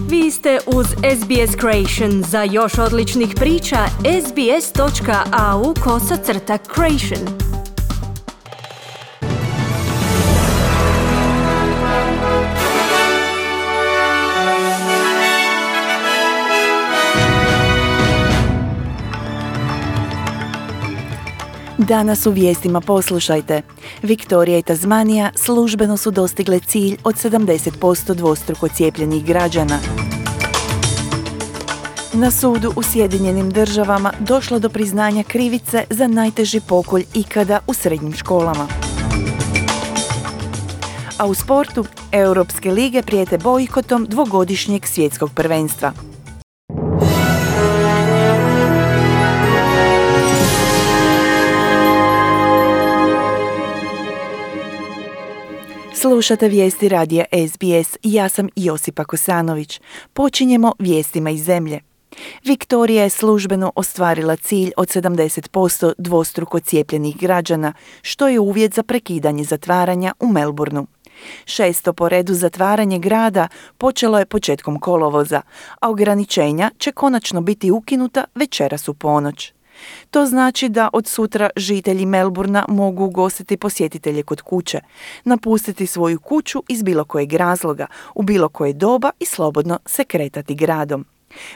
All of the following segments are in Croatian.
Vi ste uz SBS Creation. Za još odličnih priča, sbs.au/creation. Danas u vijestima poslušajte. Viktorija i Tasmanija službeno su dostigle cilj od 70% dvostruko cijepljenih građana. Na sudu u Sjedinjenim Državama došlo do priznanja krivice za najteži pokolj ikada u srednjim školama. A u sportu, Europske lige prijete bojkotom dvogodišnjeg svjetskog prvenstva. Slušate vijesti radija SBS, ja sam Josipa Kosanović. Počinjemo vijestima iz zemlje. Viktorija je službeno ostvarila cilj od 70% dvostruko cijepljenih građana, što je uvjet za prekidanje zatvaranja u Melbourneu. 6. po redu zatvaranje grada počelo je početkom kolovoza, a ograničenja će konačno biti ukinuta večeras u ponoć. To znači da od sutra žitelji Melbournea mogu ugostiti posjetitelje kod kuće, napustiti svoju kuću iz bilo kojeg razloga, u bilo koje doba i slobodno se kretati gradom.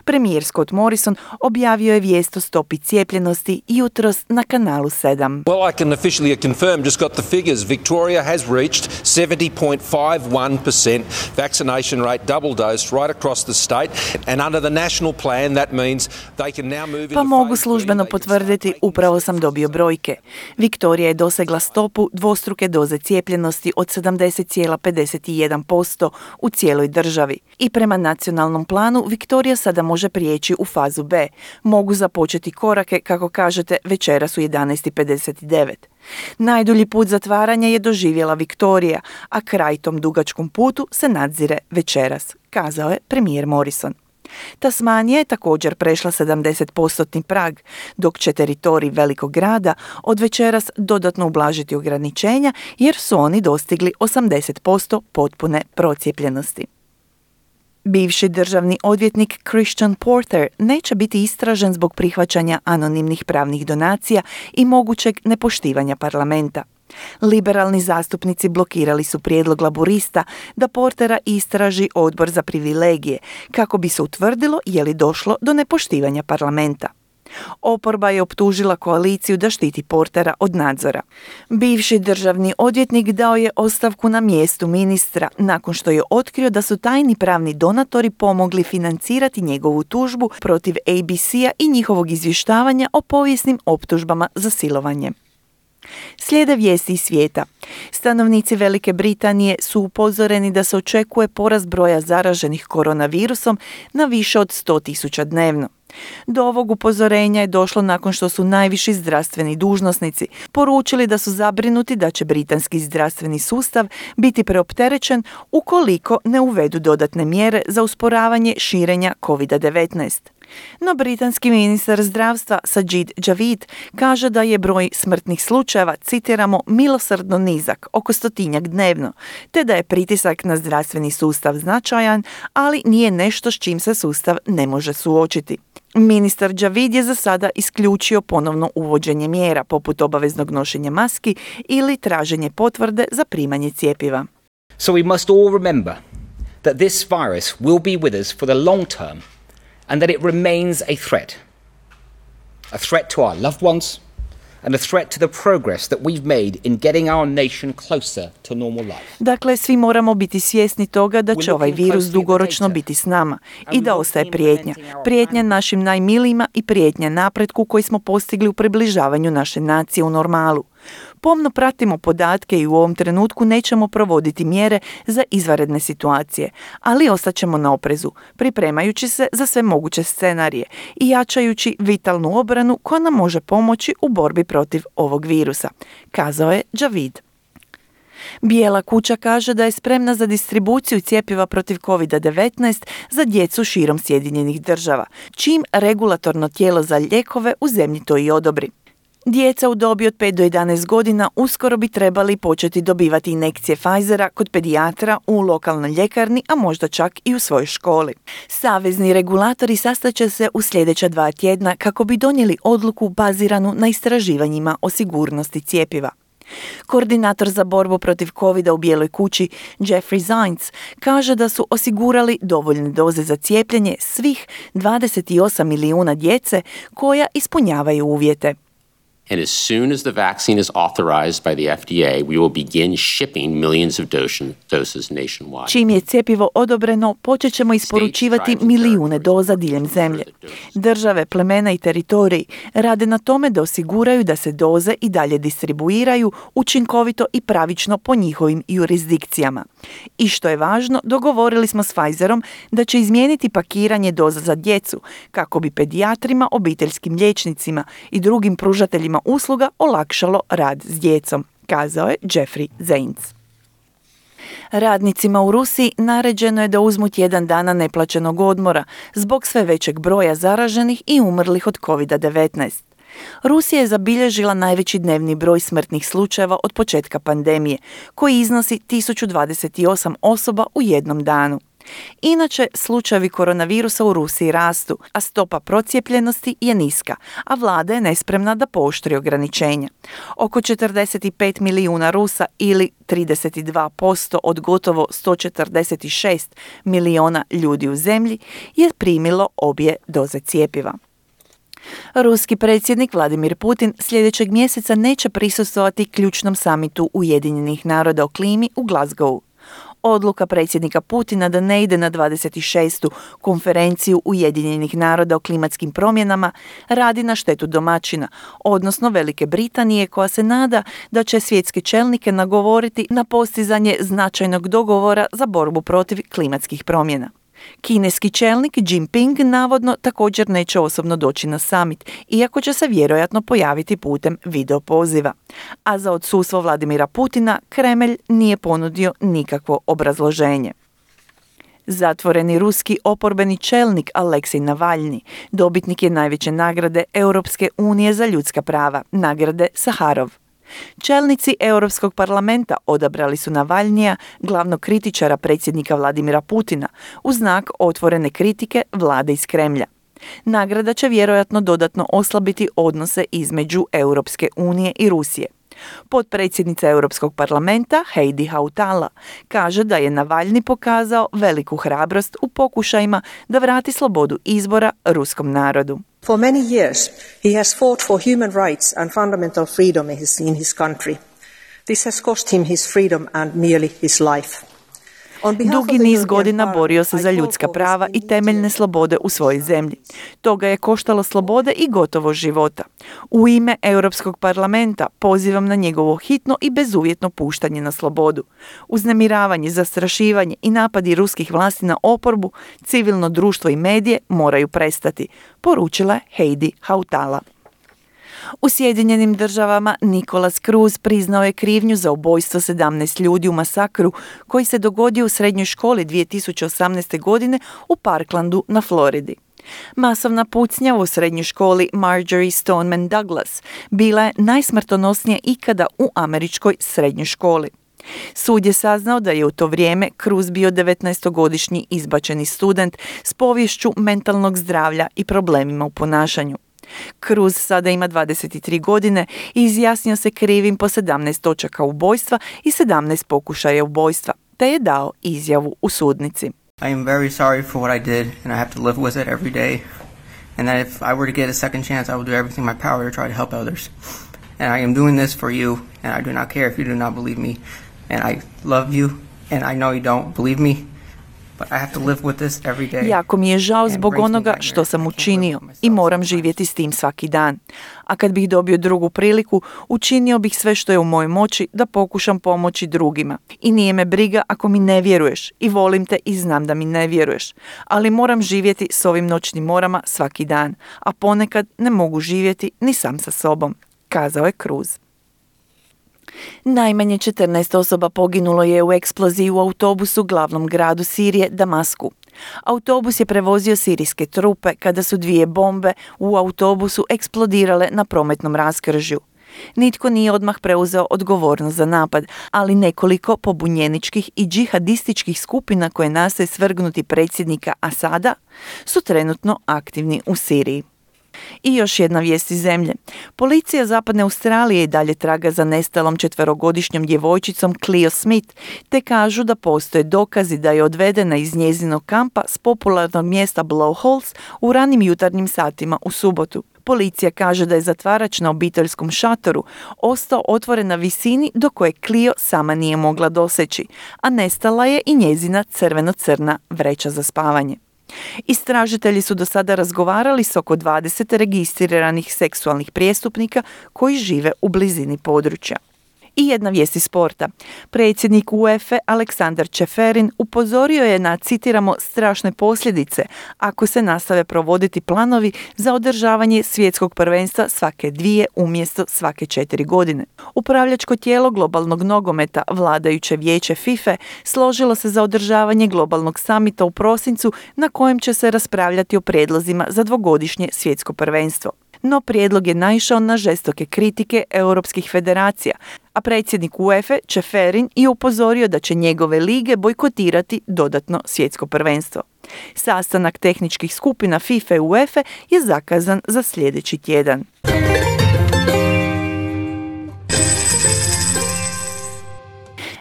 Premijer Scott Morrison objavio je vijest o stopi cijepljenosti jutros na kanalu 7. Well, I can officially confirm, just got the figures. Victoria has reached 70.51% vaccination rate, double dose, right across the state. And under the national plan, that means they can now move into Pa mogu službeno potvrditi, upravo sam dobio brojke. Viktorija je dosegla stopu dvostruke doze cijepljenosti od 70,51% u cijeloj državi. I prema nacionalnom planu, Viktorija sada može prijeći u fazu B. Mogu započeti korake, kako kažete, večeras u 11:59. Najdulji put zatvaranja je doživjela Viktorija, a kraj tom dugačkom putu se nadzire večeras, kazao je premijer Morrison. Tasmanija je također prešla 70% prag, dok će teritorij velikog grada od večeras dodatno ublažiti ograničenja jer su oni dostigli 80% potpune procijepljenosti. Bivši državni odvjetnik Christian Porter neće biti istražen zbog prihvaćanja anonimnih pravnih donacija i mogućeg nepoštivanja parlamenta. Liberalni zastupnici blokirali su prijedlog laburista da Portera istraži odbor za privilegije, kako bi se utvrdilo je li došlo do nepoštivanja parlamenta. Oporba je optužila koaliciju da štiti Portera od nadzora. Bivši državni odvjetnik dao je ostavku na mjestu ministra nakon što je otkrio da su tajni pravni donatori pomogli financirati njegovu tužbu protiv ABC-a i njihovog izvještavanja o povijesnim optužbama za silovanje. Slijede vijesti iz svijeta. Stanovnici Velike Britanije su upozoreni da se očekuje porast broja zaraženih koronavirusom na više od 100.000 dnevno. Do ovog upozorenja je došlo nakon što su najviši zdravstveni dužnosnici poručili da su zabrinuti da će britanski zdravstveni sustav biti preopterećen ukoliko ne uvedu dodatne mjere za usporavanje širenja COVID-19. No britanski ministar zdravstva Sajid Javid kaže da je broj smrtnih slučajeva, citiramo, milosrdno nizak, oko 100-tinjak dnevno, te da je pritisak na zdravstveni sustav značajan, ali nije nešto s čim se sustav ne može suočiti. Ministar Javid je za sada isključio ponovno uvođenje mjera poput obaveznog nošenja maski ili traženje potvrde za primanje cjepiva. So we must all remember that this virus will be with us for the long term and that it remains a threat to our loved ones and a threat to the progress that we've made in getting our nation closer to normal life. Dakle, svi moramo biti svjesni toga da će ovaj virus dugoročno biti s nama i da ostaje prijetnja. Prijetnja našim najmilijima i prijetnja napretku koji smo postigli u približavanju naše nacije u normalu. Pomno pratimo podatke i u ovom trenutku nećemo provoditi mjere za izvanredne situacije, ali ostaćemo na oprezu, pripremajući se za sve moguće scenarije i jačajući vitalnu obranu koja nam može pomoći u borbi protiv ovog virusa, kazao je Javid. Bijela kuća kaže da je spremna za distribuciju cjepiva protiv COVID-19 za djecu širom Sjedinjenih Država, čim regulatorno tijelo za lijekove u zemlji to i odobri. Djeca u dobi od 5 do 11 godina uskoro bi trebali početi dobivati injekcije Pfizera kod pedijatra u lokalnoj ljekarni, a možda čak i u svojoj školi. Savezni regulatori sastaće se u sljedeća 2 tjedna kako bi donijeli odluku baziranu na istraživanjima o sigurnosti cjepiva. Koordinator za borbu protiv covida u Bijeloj kući, Jeffrey Zients, kaže da su osigurali dovoljne doze za cijepljenje svih 28 milijuna djece koja ispunjavaju uvjete. And as soon as the vaccine is authorized by the FDA, we will begin shipping millions of doses nationwide. Čim je cjepivo odobreno, počet ćemo isporučivati milijune doza diljem zemlje. Države, plemena i teritoriji rade na tome da osiguraju da se doze i dalje distribuiraju učinkovito i pravično po njihovim jurisdikcijama. I što je važno, dogovorili smo s Pfizerom da će izmijeniti pakiranje doza za djecu kako bi pedijatrima, obiteljskim liječnicima i drugim pružateljima usluga olakšalo rad s djecom, kazao je Jeffrey Zients. Radnicima u Rusiji naređeno je da uzmu tjedan dana neplaćenog odmora zbog sve većeg broja zaraženih i umrlih od COVID-19. Rusija je zabilježila najveći dnevni broj smrtnih slučajeva od početka pandemije, koji iznosi 1028 osoba u jednom danu. Inače, slučajevi koronavirusa u Rusiji rastu, a stopa procijepljenosti je niska, a vlada je nespremna da pooštri ograničenja. Oko 45 milijuna Rusa ili 32% od gotovo 146 milijuna ljudi u zemlji je primilo obje doze cjepiva. Ruski predsjednik Vladimir Putin sljedećeg mjeseca neće prisustvovati ključnom samitu Ujedinjenih naroda o klimi u Glasgowu. Odluka predsjednika Putina da ne ide na 26. konferenciju Ujedinjenih naroda o klimatskim promjenama radi na štetu domaćina, odnosno Velike Britanije, koja se nada da će svjetske čelnike nagovoriti na postizanje značajnog dogovora za borbu protiv klimatskih promjena. Kineski čelnik Jinping navodno također neće osobno doći na summit, iako će se vjerojatno pojaviti putem video poziva. A za odsustvo Vladimira Putina Kremlj nije ponudio nikakvo obrazloženje. Zatvoreni ruski oporbeni čelnik Aleksej Navalni dobitnik je najveće nagrade Europske unije za ljudska prava, nagrade Saharov. Čelnici Europskog parlamenta odabrali su Navalnija, glavnog kritičara predsjednika Vladimira Putina, u znak otvorene kritike vlade iz Kremlja. Nagrada će vjerojatno dodatno oslabiti odnose između Europske unije i Rusije. Potpredsjednica Europskog parlamenta Heidi Hautala kaže da je Navalni pokazao veliku hrabrost u pokušajima da vrati slobodu izbora ruskom narodu. For many years, he has fought for human rights and fundamental freedom in his country. This has cost him his freedom and nearly his life. Dugi niz godina borio se za ljudska prava i temeljne slobode u svojoj zemlji. To ga je koštalo slobode i gotovo života. U ime Europskog parlamenta pozivam na njegovo hitno i bezuvjetno puštanje na slobodu. Uznemiravanje, zastrašivanje i napadi ruskih vlasti na oporbu, civilno društvo i medije moraju prestati, poručila je Heidi Hautala. U Sjedinjenim državama Nicholas Cruz priznao je krivnju za ubojstvo 17 ljudi u masakru koji se dogodio u srednjoj školi 2018. godine u Parklandu na Floridi. Masovna pucnja u srednjoj školi Marjorie Stoneman Douglas bila je najsmrtonosnija ikada u američkoj srednjoj školi. Sud je saznao da je u to vrijeme Cruz bio 19-godišnji izbačeni student s poviješću mentalnog zdravlja i problemima u ponašanju. Cruz sada ima 23 godine i izjasnio se krivim po 17 točaka ubojstva i 17 pokušaja ubojstva, te je dao izjavu u sudnici. I am very sorry for what I did and I have to live with it every day. And that if I were to get a second chance, I will do everything in my power to try to help others. And I am doing this for you and I do not care if you do not believe me. And I love you and I know you don't believe me. Jako mi je žao zbog onoga što sam učinio i moram živjeti s tim svaki dan. A kad bih dobio drugu priliku, učinio bih sve što je u mojoj moći da pokušam pomoći drugima. I nije me briga ako mi ne vjeruješ i volim te i znam da mi ne vjeruješ. Ali moram živjeti s ovim noćnim morama svaki dan, a ponekad ne mogu živjeti ni sam sa sobom, kazao je Cruz. Najmanje 14 osoba poginulo je u eksploziji u autobusu u glavnom gradu Sirije, Damasku. Autobus je prevozio sirijske trupe kada su 2 bombe u autobusu eksplodirale na prometnom raskržju. Nitko nije odmah preuzeo odgovornost za napad, ali nekoliko pobunjeničkih i džihadističkih skupina koje nastoje svrgnuti predsjednika Asada su trenutno aktivni u Siriji. I još jedna vijest iz zemlje. Policija Zapadne Australije i dalje traga za nestalom 4-godišnjom djevojčicom Cleo Smith, te kažu da postoje dokazi da je odvedena iz njezinog kampa s popularnog mjesta Blowholes u ranim jutarnjim satima u subotu. Policija kaže da je zatvarač na obiteljskom šatoru ostao otvoren na visini do koje Cleo sama nije mogla doseći, a nestala je i njezina crveno-crna vreća za spavanje. Istražitelji su do sada razgovarali s oko 20 registriranih seksualnih prijestupnika koji žive u blizini područja. I jedna vijest iz sporta. Predsjednik UEFA Aleksandar Čeferin upozorio je na, citiramo, strašne posljedice ako se nastave provoditi planovi za održavanje svjetskog prvenstva svake 2 umjesto svake 4 godine. Upravljačko tijelo globalnog nogometa, vladajuće vijeće FIFA, složilo se za održavanje globalnog samita u prosincu na kojem će se raspravljati o prijedlozima za 2-godišnje svjetsko prvenstvo. No prijedlog je naišao na žestoke kritike europskih federacija, a predsjednik UEFA Čeferin je upozorio da će njegove lige bojkotirati dodatno svjetsko prvenstvo. Sastanak tehničkih skupina FIFA i UEFA je zakazan za sljedeći tjedan.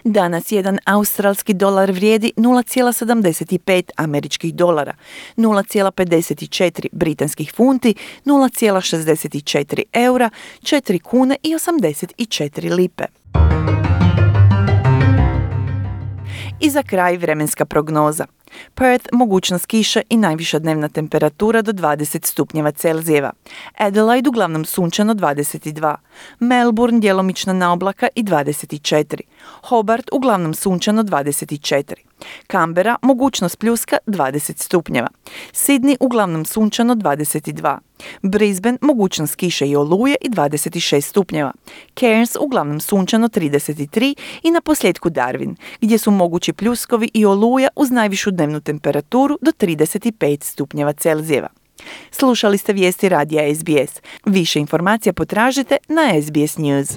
Danas jedan australski dolar vrijedi 0,75 američkih dolara, 0,54 britanskih funti, 0,64 eura, 4 kune i 84 lipe. I za kraj vremenska prognoza. Perth mogućnost kiše i najviša dnevna temperatura do 20 stupnjeva Celzijeva. Adelaide uglavnom sunčano 22. Melbourne djelomična naoblaka i 24. Hobart uglavnom sunčano 24. Canberra mogućnost pljuska 20 stupnjeva. Sydney uglavnom sunčano 22. Brisbane mogućnost kiše i oluje i 26 stupnjeva. Cairns uglavnom sunčano 33 i na posljedku Darwin, gdje su mogući pljuskovi i oluja uz najvišu dnevnu temperaturu do 35 stupnjeva Celzijeva. Slušali ste vijesti radija SBS. Više informacija potražite na SBS News.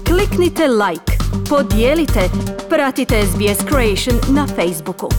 Kliknite like, podijelite, pratite SBS Creation na Facebooku.